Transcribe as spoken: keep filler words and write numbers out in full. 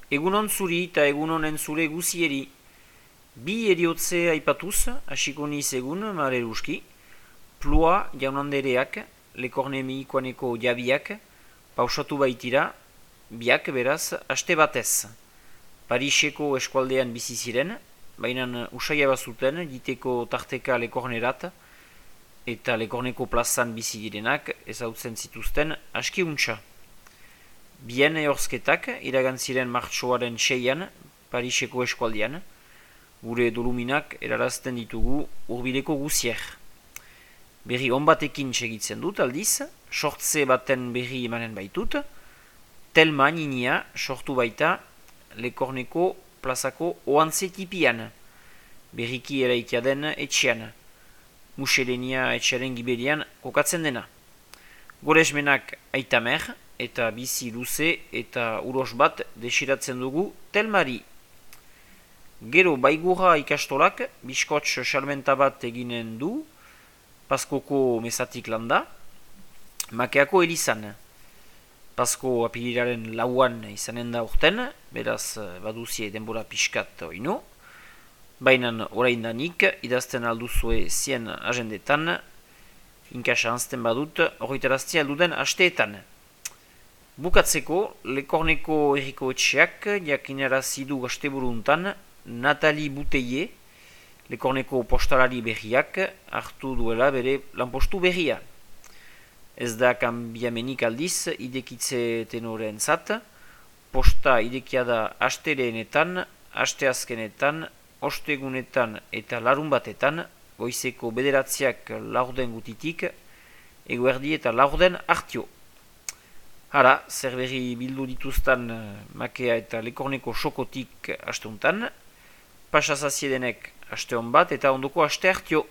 Egunon zuri eta egunonen zure guzieri. Bi eriotze aipatuz, hasiko niz egun mareruski, plua jaunandereak, lekorne mihikoaneko jabiak, pausatu baitira, biak beraz, aste batez. Pariseko eskualdean bizi ziren, baina usaia bazuten, diteko tarteka lekornerat, eta lekorneko plazan bizi direnak, ezautzen zituzten aski untxa. Bien ehorzketak iragantziren martxoaren seian, Pariseko eskualdean, gure doluminak erarazten ditugu hurbileko guzier. Berri on batekin segitzen dut aldiz, sortze baten berri emanen baitut, telma ninia sortu baita lekorneko plazako oantze tipian, berriki eraikia den etxean, muselenia etxearen gibelian kokatzen dena. Goresmenak aitamer, eta bizi luze eta uros bat desiratzen dugu telmari. Gero baigurra ikastolak biskots salmenta bat eginen du, Paskoko mesatik landa, Makeako elizan. Pasko apiliraren lauan izanen da urten, beraz baduzie denbora pixkat oino, baina oraindanik idazten alduzue zien agendetan, inkasa anzten badut horretaraztia alduden asteetan. Bukatzeko, lekorneko erriko etxeak jakinarazi du asteburuntan Nathalie Bouteille, lekorneko postalari berriak hartu duela bere lanpostu berria. Ez da kanbiamenik aldiz idekitze tenoren zat, posta idekia da asteleenetan, asteazkenetan, ostegunetan eta larun batetan, goizeko bederatziak laurden gutitik, eguerdi eta laurden hartio. Hara, zer berri bildu dituztan Makea eta lekorneko sokotik asteuntan, pasazaziedenek aste hon bat eta ondoko aste hartio.